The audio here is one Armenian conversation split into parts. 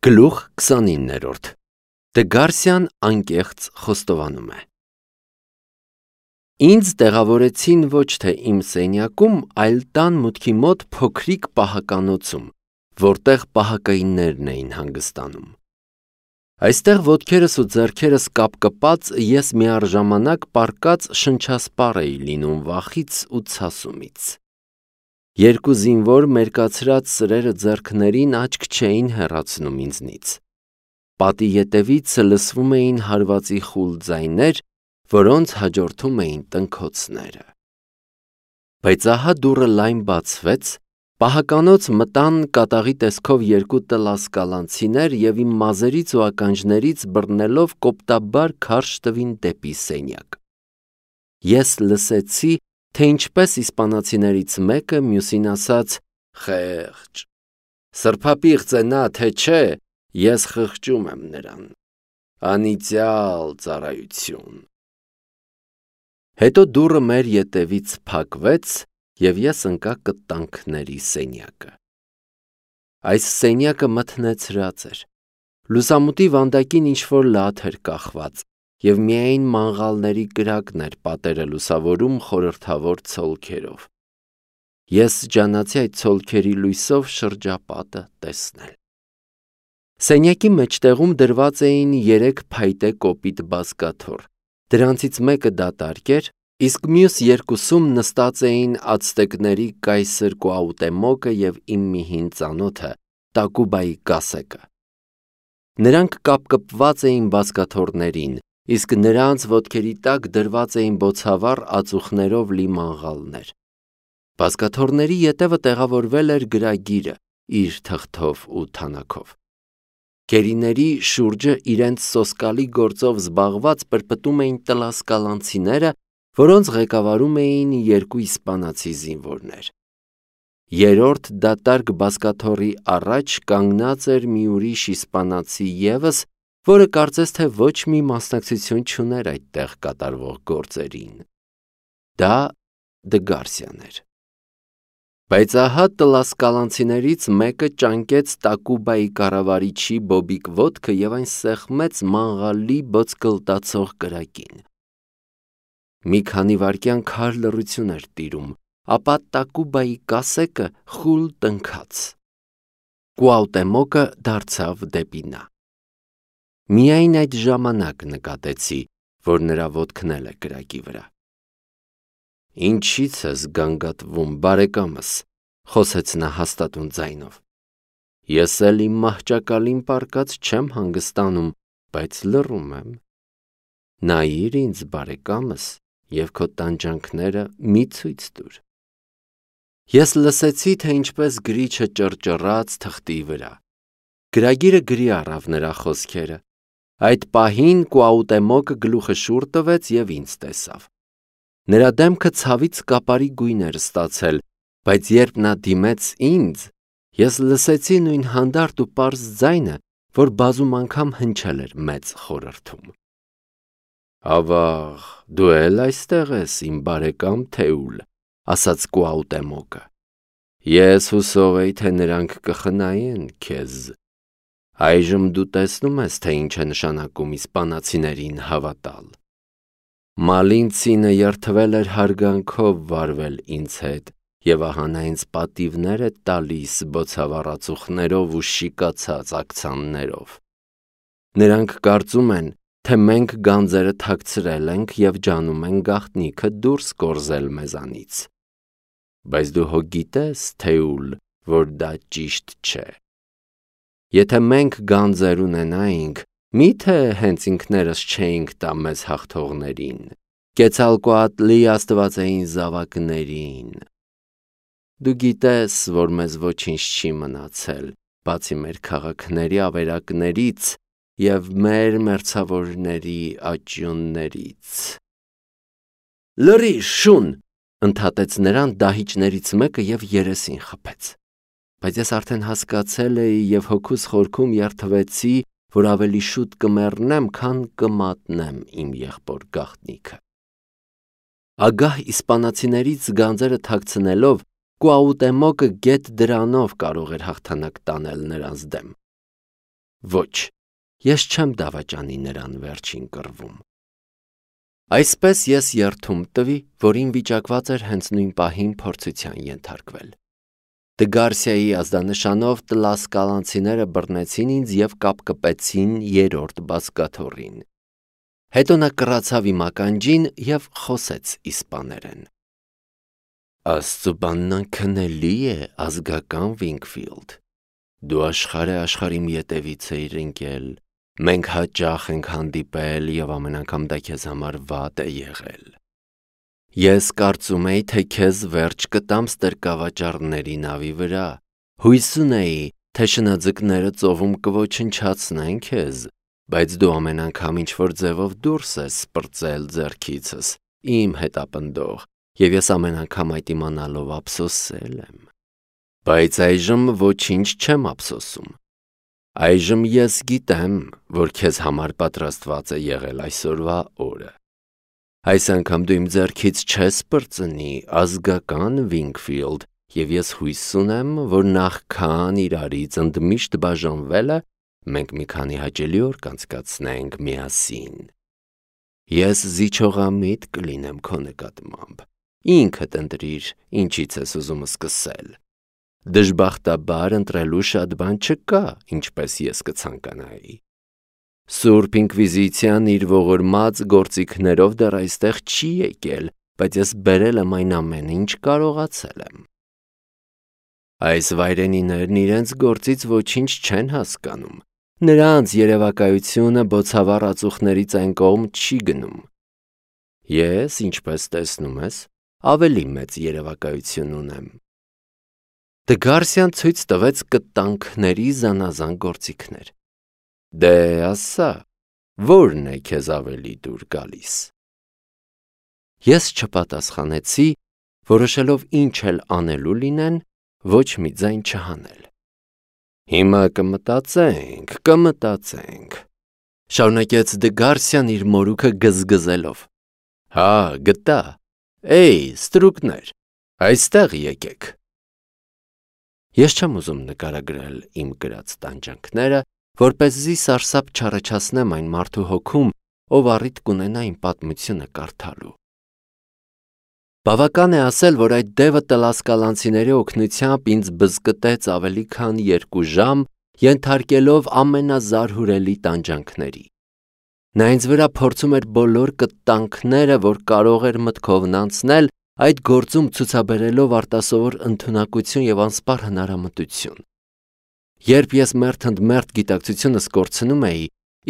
Գլուխ 29-րդ Դգարսյան անկեղծ խոստովանում է. Ինձ տեղավորեցին ոչ թե իմ սենյակում, այլ տան մուտքի մոտ փոքրիկ պահականոցում, որտեղ պահակայիններն էին հանգստանում։ Այստեղ ոտքերս ու ձեռքերս կապկպած ես միառժամանակ պառկած շնչասպառ էի լինում վախից ու ցասումից։ Երկու զինվոր մերկացրած սրերը ձեռքներին աչք չէին հեռացնում ինձնից։ Պատի ետևից լսվում էին հարվածի խուլ ձայներ, որոնց հաջորդում էին տնքոցները։ Բայց ահա դուռը լայն բացվեց, պահականոց մտան կատաղի տեսքով երկու տլասկալանցիներ և իմ մազերից ու ականջներից բռնելով կոպտաբար քարշ տվին դեպի սենյակ։ Ես լսեցի, թե ինչպես իսպանացիներից մեկը մյուսին ասաց. «Խեղճ, սրբապիղծ է նա, թե չէ, ես խղճում եմ նրան, անիծյալ ծառայություն»։ Հետո դուռը մեր ետևից փակվեց, և ես ընկա կտանքների սենյակը։ Այս սենյակը մթնեցրած էր։ Լուսամուտի վանդակին ինչ-որ լաթ էր կախված, և միայն մանղալների կրակն էր պատերը լուսավորում խորհրդավոր ցոլքերով։ Ես ջանացի այդ ցոլքերի լույսով շրջապատը տեսնել։ Սենյակի մեջտեղում դրված էին 3 փայտե կոպիտ բազկաթոռ, դրանցից մեկը դատարկ էր, իսկ մյուս երկուսում նստած էին ացտեկների կայսր Կուաուտեմոկը և իմ մի հին ծանոթը՝ Տակուբայի կասեկը։ Նրանք կապկպված էին բազկաթոռներին, իսկ նրանց ոտքերի տակ դրված էին բոցավառ ածուխներով լի մանղալներ։ Բազկաթոռների ետևը տեղավորվել էր գրագիրը՝ իր թղթով ու թանաքով։ Գերիների շուրջը իրենց սոսկալի գործով զբաղված պրպտում էին տլասկալանցիները, որոնց ղեկավարում էին 2 իսպանացի զինվորներ։ Երրորդ դատարկ բազկաթոռի առաջ կանգնած էր մի ուրիշ իսպանացի ևս, որը կարծես թե ոչ մի մասնակցություն չուներ այդտեղ կատարվող գործերին։ Դա Դգարսյան էր։ Բայց ահա տլասկալանցիներից մեկը ճանկեց Տակուբայի կառավարիչի բոբիկ ոտքը և այն սեղմեց մանղալի բոցկլտացող կրակին։ Մի քանի վայրկյան քար լռություն էր տիրում, ապա Տակուբայի կասեկը խուլ տնքաց։ Կուաուտեմոկը դարձավ դեպի նա։ Միայն այդ ժամանակ նկատեցի, որ նրա ոտքն էլ է կրակի վրա։ «Ինչի՞ց ես գանգատվում, բարեկամս», խոսեց նա հաստատուն ձայնով։ «Ես էլ իմ մահճակալին պառկած չեմ հանգստանում, բայց լռում եմ։ Նայիր ինձ, բարեկամս, և քո տանջանքները մի ցույց տուր»։ Ես լսեցի, թե ինչպես գրիչը ճռճռաց թղթի վրա։ Գրագիրը գրի առավ նրա խոսքերը։ Այդ պահին Կուաուտեմոկը գլուխը շուռ տվեց և ինձ տեսավ։ Նրա դեմքը ցավից կապարի գույն էր ստացել, բայց երբ նա դիմեց ինձ, ես լսեցի նույն հանդարտ ու պարզ ձայնը, որ բազում անգամ հնչել էր մեծ խորհրդում։ «Ավաղ, դու էլ այստեղ ես, իմ բարեկամ Թեուլ», ասաց Կուաուտեմոկը։ «Ես հուսով էի, թե նրանք կխնայեն քեզ։ Այժմ դու տեսնում ես, թե ինչ է նշանակում իսպանացիներին հավատալ։ Մալինցինը երդվել էր հարգանքով վարվել ինձ հետ, և ահա նա ինձ պատիվներ է տալիս բոցավառ ածուխներով ու շիկացած աքցաններով։ Նրանք կարծում են, թե մենք գանձերը թաքցրել ենք և ջանում են գաղտնիքը դուրս կորզել մեզանից։ Բայց դու հո գիտես, Թեուլ, որ դա ճիշտ չէ։ Եթե մենք գանձեր ունենայինք, մի՞թե հենց ինքներս չէինք տա մեզ հաղթողներին, Կեցալկոատլի աստվածային զավակներին։ Դու գիտես, որ մեզ ոչինչ չի մնացել, բացի մեր քաղաքների ավերակներից և մեր մերձավորների աճյուններից»։ «Լռիր, շուն», ընդհատեց նրան դահիճներից մեկը և երեսին խփեց։ Բայց ես արդեն հասկացել էի և հոգուս խորքում երդվեցի, որ ավելի շուտ կմեռնեմ, քան կմատնեմ իմ եղբոր գաղտնիքը։ Ագահ իսպանացիներից գանձերը թաքցնելով Կուաուտեմոկը գեթ դրանով կարող էր հաղթանակ տանել նրանց դեմ։ Ոչ, ես չեմ դավաճանի նրան վերջին կռվում։ Այսպես ես երդում տվի, որ ինձ վիճակված էր հենց նույն պահին փորձության ենթարկվել։ Դգարսիայի ազդանշանով տլասկալանցիները բռնեցին ինձ և կապկպեցին երրորդ բազկաթոռին։ Հետո նա կռացավ իմ ականջին և խոսեց իսպաներեն. Աստծու բանն անքննելի է, ազգական Վինգֆիլդ։ Դու աշխարհի իմ ետևից էիր ընկել, մենք հաճախ ենք հանդիպել և ամեն անգամ դա քեզ համար վատ է եղել։ Ես կարծում էի, թե քեզ վերջ կտամ ստրկավաճառների նավի վրա, հույս ունեի, թե շնաձկները ծովում կոչնչացնեն քեզ, բայց դու ամեն անգամ ինչ-որ ձևով դուրս ես սպրծել ձեռքիցս, իմ հետապնդող, և ես ամեն անգամ այդ իմանալով ափսոսել եմ։ Բայց այժմ ոչինչ չեմ ափսոսում։ Այժմ ես գիտեմ, որ քեզ համար պատրաստված է եղել այսօրվա օրը։ Այս անգամ դու իմ ձեռքից չես պրծնի, ազգական Վինգֆիլդ, և ես հույս ունեմ, որ նախքան իրարից ընդմիշտ բաժանվելը, մենք մի քանի հաճելի օր կանցկացնենք միասին։ Ես զիջողամիտ կլինեմ քո նկատմամբ, ինքդ ընտրիր, ինչից ես ուզում սկսել։ Դժբախտաբար ընտրելու շատ բան չկա, ինչպես ես կցանկանայի։ Սուրբ ինկվիզիցիան իր ողորմած գործիքներով դեռ այստեղ չի եկել, բայց ես բերել եմ այն ամենը, ինչ կարողացել եմ։ Այս վայրենիներն իրենց գործից ոչինչ չեն հասկանում, նրանց երևակայությունը բոցավառ ածուխներից այն կողմ չի գնում։ Ես, ինչպես տեսնում ես, ավելի մեծ երևակայություն ունեմ։ Դգարսիան ցույց տվեց կտանքների զանազան գործիքներ։ Դե ասա, ո՞րն է քեզ ավելի դուր գալիս։ Ես չպատասխանեցի, որոշելով ինչ էլ անելու լինեն, ոչ մի ձայն չհանել։ Հիմա կմտածենք, շարունակեց Դգարսիան իր մորուքը գզգզելով։ Հա, գտա, էй, ստրուկներ, այստեղ եկեք։ Ես չեմ ուզում նկարագրել իմ կրած տանջանքները, որպեսզի սարսափ չառաջացնեմ այն մարդու հոգում, ով առիթ կունենա իմ պատմությունը կարդալու։ Բավական է ասել, որ այդ դևը տլասկալանցիների օգնությամբ ինձ բզկտեց ավելի քան 2 ժամ, ենթարկելով ամենազարհուրելի տանջանքների։ Նա ինձ վրա փորձում էր բոլոր կտանքները, որ կարող էր մտքովն անցնել, այդ գործում ցուցաբերելով արտասովոր ընդունակություն և անսպառ հնարամտություն։ Երբ ես մերթ ընդ մերթ գիտակցությունս կորցնում էի,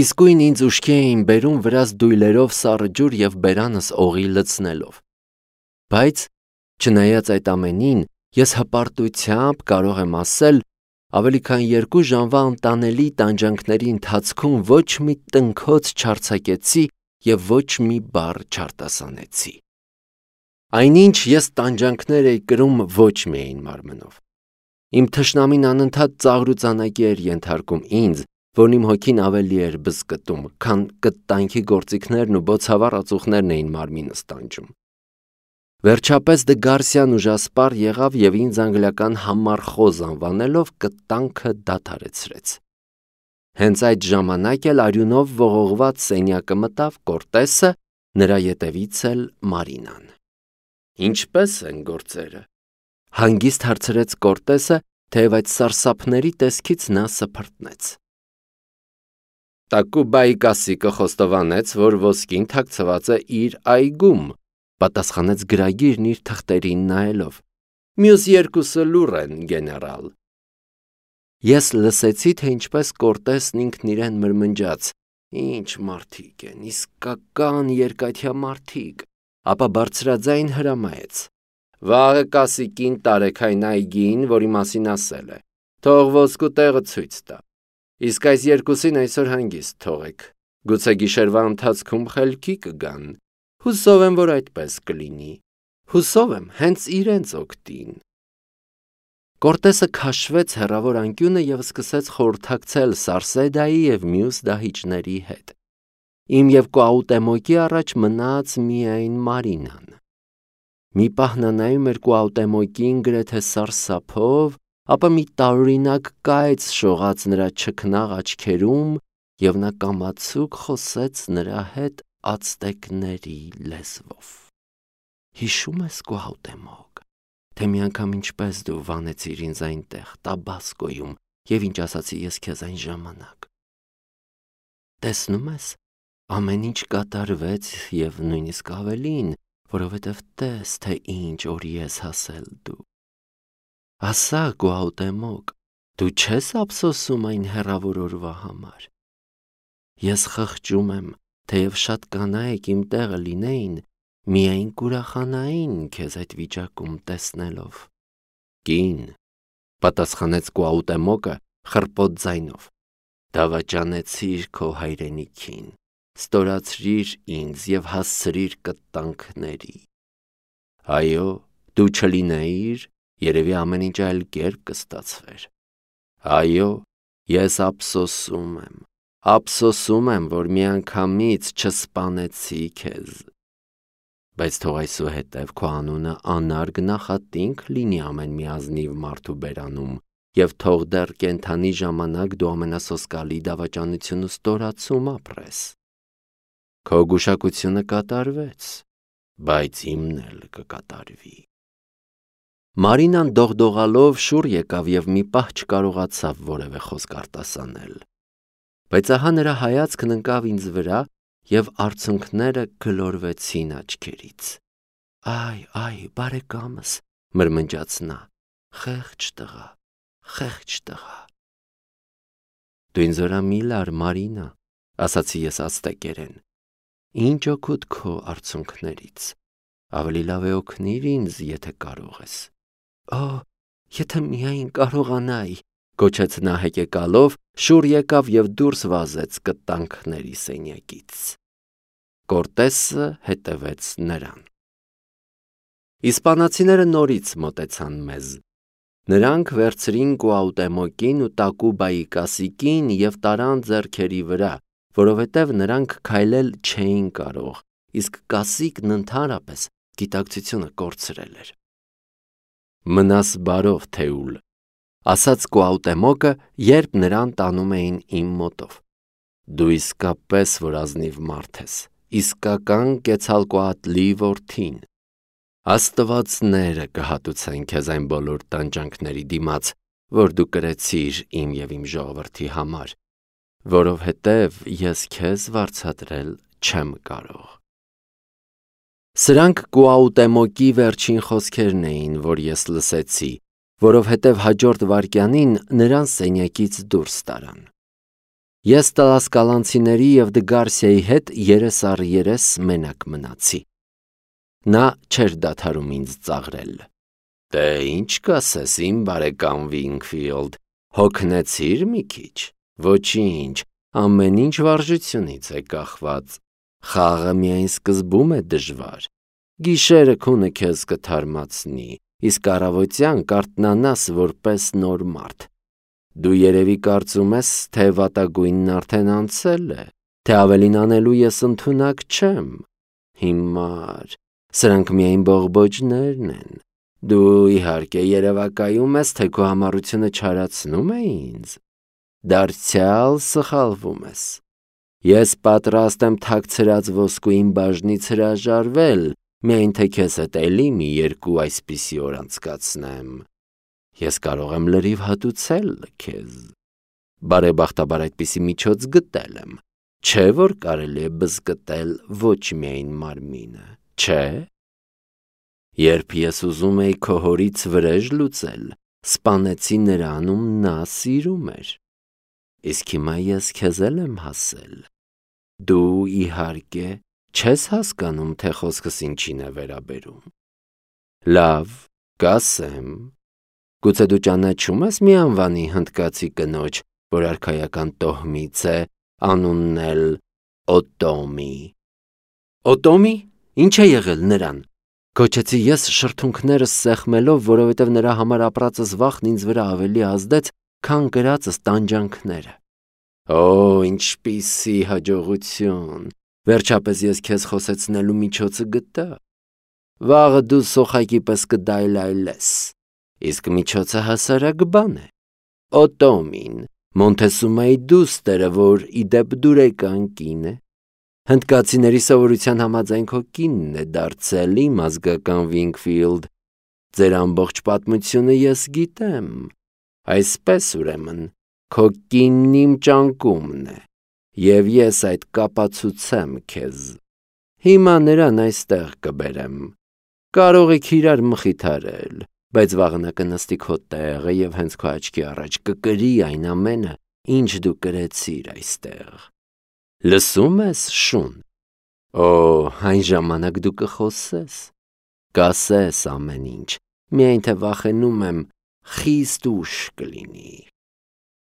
իսկույն ինձ ուշքի էին բերում վրաս դույլերով սառը ջուր և բերանս օղի լցնելով։ Բայց, չնայած այդ ամենին, ես հպարտությամբ կարող եմ ասել, ավելի քան 2 ժամվա անտանելի տանջանքների ընթացքում ոչ մի տնքոց չարձակեցի և ոչ մի բառ չարտասանեցի։ Այնինչ ես տանջանքներ էի կրում ոչ միայն մարմնով։ Իմ թշնամին անընդհատ ծաղրուծանակի էր ենթարկում ինձ, որն իմ հոգին ավելի էր բզկտում, քան կտանքի գործիքներն ու բոցավառ ածուխներն էին մարմինս տանջում։ Վերջապես Դգարսիան ուժասպառ եղավ և ինձ անգլիական համառխոզ անվանելով կտանքը դադարեցրեց։ Հենց այդ ժամանակ էլ արյունով ողողված սենյակը մտավ Կորտեսը, նրա ետևից էլ Մարինան։ Ինչպե՞ս են գործերը։ Հանգիստ հարցրեց Կորտեսը, թեև այդ սարսափների տեսքից նա սփռտնեց։ Տակուբայի կասիկը խոստովանեց, որ ոսկին թաքցված է իր այգում, պատասխանեց գրագիրն իր թղթերին նայելով։ Մյուս 2-ը լուռ են, գեներալ։ Ես լսեցի, թե ինչպես Կորտեսն ինքն իրեն մրմնջաց. Ինչ մարդիկ են, իսկական երկաթյա մարդիկ, ապա բարձրաձայն հրամայեց. Վաղը կասիկին տարեք այն այգին, որի մասին ասել է, թող ոսկու տեղը ցույց տա, իսկ այս 2-ին այսօր հանգիստ թողեք, գուցե գիշերվա ընթացքում խելքի կգան, հուսով եմ, որ այդպես կլինի, հուսով եմ հենց իրենց օգտին։ Կորտեսը քաշվեց հեռավոր անկյունը և սկսեց խորհրդակցել Սարսեդայի և մյուս դահիճների հետ։ Իմ և Կուաուտեմոկի առաջ մնաց միայն Մարինան։ Մի պահ նա նայում էր Կուաուտեմոկին գրեթե սարսափով, ապա մի տարօրինակ կայծ շողաց նրա չքնաղ աչքերում և նա կամացուկ խոսեց նրա հետ ացտեկների լեզվով. «Հիշում ես Կուահուտեմոկ, թե մի անգամ ինչպես դու վանեցիր ինձ այնտեղ Տաբասկոյում և ինչ ասացի ես քեզ այն ժամանակ։ Տեսնում ես, ամեն ինչ կատարվեց և նույնիսկ ավելին, որովհետև տես, թե ինչ օրի ես հասել դու։ Ասա, Կուահուտեմոկ, դու չես ափսոսում այն հեռավոր օրվա համար։ Ես խղճում եմ, թեև շատ կանայք իմ տեղը լինեին, միայն կուրախանային քեզ այդ վիճակում տեսնելով»։ «Կին», պատասխանեց Կուահուտեմոկը խռպոտ ձայնով, «դավաճանեցիր քո հայրենիքին, ստորացրիր ինձ և հասցրիր կտանքների։ Այո, դու չլինեիր, երևի ամեն ինչ այլ կերպ կստացվեր։ Այո, ես ափսոսում եմ, որ միանգամից չսպանեցի քեզ։ Բայց թող այսուհետև քո անունը անարգ նախատինք լինի ամեն մի ազնիվ մարդու բերանում, և թող դեռ կենդանի ժամանակ դու ամենասոսկալի դավաճանություն ու ստորացում ապրես։ Քո գուշակությունը կատարվեց, բայց իմն էլ կկատարվի»։ Մարինան դողդողալով շուռ եկավ և մի պահ չկարողացավ որևէ խոսք արտասանել։ Բայց ահա նրա հայացքն ընկավ ինձ վրա և արցունքները գլորվեցին աչքերից։ «Այ, բարեկամս», մրմնջաց նա, «խեղճ տղա, խեղճ տղա»։ «Դու ինձ վրա մի լար, Մարինա», ասացի ես ացտեկերեն, «ինչ օգուտ քո արցունքներից, ավելի լավ է օգնիր ինձ, եթե կարող ես»։ «Օ, եթե միայն կարողանայի», գոչեց նա հեկեկալով, շուռ եկավ և դուրս վազեց կտանքների սենյակից։ Կորտեսը հետևեց նրան։ Իսպանացիները նորից մոտեցան մեզ։ Նրանք վերցրին Կուահուտեմոկին ու Տակուբայի կասիկին և տարան ձեռքերի վրա, որովհետև նրանք քայլել չէին կարող, իսկ կասիկն ընդհանրապես գիտակցությունը կորցրել էր։ «Մնաս բարով, Թեուլ», ասաց Կուահուտեմոկը, երբ նրան տանում էին իմ մոտով։ «Դու իսկապես որ ազնիվ մարդ ես, իսկական Կեցալկոատլի որդին։ Աստվածները կհատուցեն քեզ այն բոլոր տանջանքների դիմաց, որ դու կրեցիր իմ և իմ ժողովրդի համար, որովհետև ես քեզ վարձատրել չեմ կարող»։ Սրանք Կուահուտեմոկի վերջին խոսքերն էին, որ ես լսեցի, որովհետև հաջորդ վայրկյանին նրան սենյակից դուրս տարան։ Ես տլասկալանցիների և Դգարսիայի հետ երես առ երես մենակ մնացի։ Նա չէր դադարում ինձ ծաղրել։ «Դե ինչ կասես, իմ բարեկամ Վինքֆիլդ, հոգնեցի՞ր մի քիչ։ Ոչինչ, ամեն ինչ վարժությունից է կախված։ Խաղը միայն սկզբում է դժվար։ Գիշերը քունը քեզ կթարմացնի, իսկ առավոտյան կարթնանաս որպես նոր մարդ։ Դու երևի կարծում ես, թե վատագույնն արդեն անցել է, թե ավելին անելու ես ընդունակ չեմ։ Հիմար, սրանք միայն բողբոջներն են։ Դու իհարկե երևակայում ես, թե քո համառությունը չարացնում է ինձ։ Դարձյալ սխալվում ես։ Ես պատրաստ եմ թաքցրած ոսկուին բաժնից հրաժարվել, միայն թե քեզ հետ էլի մի երկու այսպիսի օր անցկացնեմ։ Ես կարող եմ լրիվ հատուցել քեզ։ Բարեբախտաբար այդպիսի միջոց գտել եմ։ Չէ՞ որ կարելի է բզկտել ոչ միայն մարմինը, չէ՞։ Երբ ես ուզում էի քո հորից վրեժ լուծել, սպանեցի նրան, ում նա սիրում էր։ Իսկ հիմա ես քեզ էլ եմ հասել։ Դու իհարկե չես հասկանում, թե խոսքս ինչին է վերաբերում։ Լավ, կասեմ։ Գուցե դու ճանաչում ես մի անվանի հնդկացի կնոջ, որ արքայական տոհմից է, անունն էլ Օտոմի։ Օտոմի, ինչ է եղել նրան։ Գոչեցի ես շրթունքներս սեղմելով, որովհետև նրա համար ապրածս վախն ինձ վրա ավելի ազդեց, քան կրածս տանջանքները։ Օ, ինչպիսի հաջողություն։ Վերջապես ես քեզ խոսեցնելու միջոցը գտա։ Վաղը դու սոխակի պես կդայլայլես։ իսկ միջոցը հասարակ բան է։ Օտոմին, Մոնտեսումայի դուստերը, որ իդեպ դուրեկան կին է, հնդկացիների սովորության համաձայն քո կինն է դարձել իմ ազգական Վինգֆիլդ, ձեր ամբողջ պատմությունը ես գիտեմ, այսպես ուրեմն, քո կինն իմ ճանկումն է, և ես այդ կապացուցեմ քեզ, հիմա նրան այստեղ կբերեմ, կարող եք իրար մխիթարել, բայց վաղը նա կնստի քո տեղը և հենց քո աչքի առաջ կկրի այն ամենը, ինչ դու կրեցիր այստեղ, լսում ես շուն, այն ժամանակ դու կխոսես, կասես ամեն ինչ, միայն թե վախենում եմ խիստ ուշ կլինի։